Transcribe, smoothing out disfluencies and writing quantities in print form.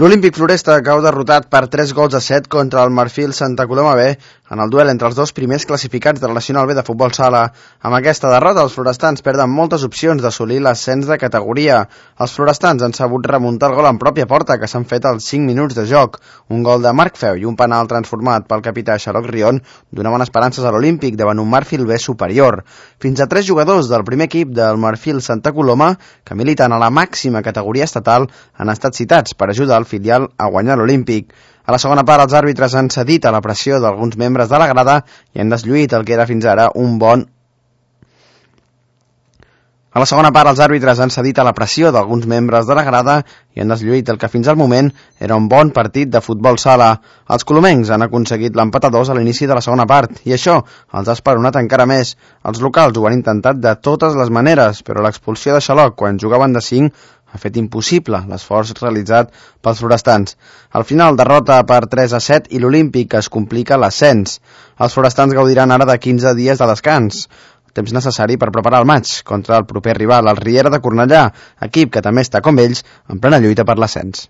L'Olímpic Floresta cau derrotat per 3-7 contra el Marfil Santa Coloma B en el duel entre els dos primers classificats de la Nacional B de futbol sala. Amb aquesta derrota, els florestans perden moltes opcions d'assolir l'ascens de categoria. Els florestans han sabut remuntar el gol en pròpia porta, que s'han fet als 5 minuts de joc. Un gol de Marc Feu i un penal transformat pel capità Xaloc Rion donaven esperances a l'Olímpic davant un Marfil B superior. Fins a 3 jugadors del primer equip del Marfil Santa Coloma, que militen a la màxima categoria estatal, han estat citats per ajudar el filial a guanyar l'Olímpic. A la segona part, els àrbitres han cedit a la pressió d'alguns membres de la grada i han deslluït el que era fins ara un bon... A la segona part, els àrbitres han cedit a la pressió d'alguns membres de la grada i han deslluït el que fins al moment era un bon partit de futbol sala. Els colomencs han aconseguit l'empat a 2 a l'inici de la segona part i això els ha esperonat encara més. Els locals ho han intentat de totes les maneres, però l'expulsió de Xaloc quan jugaven de 5 ha fet impossible l'esforç realitzat pels florestans. Al final, derrota per 3-7 i l'Olímpic es complica l'ascens. Els florestans gaudiran ara de 15 dies de descans, temps necessari per preparar el maig contra el proper rival, el Riera de Cornellà, equip que també està, com ells, en plena lluita per l'ascens.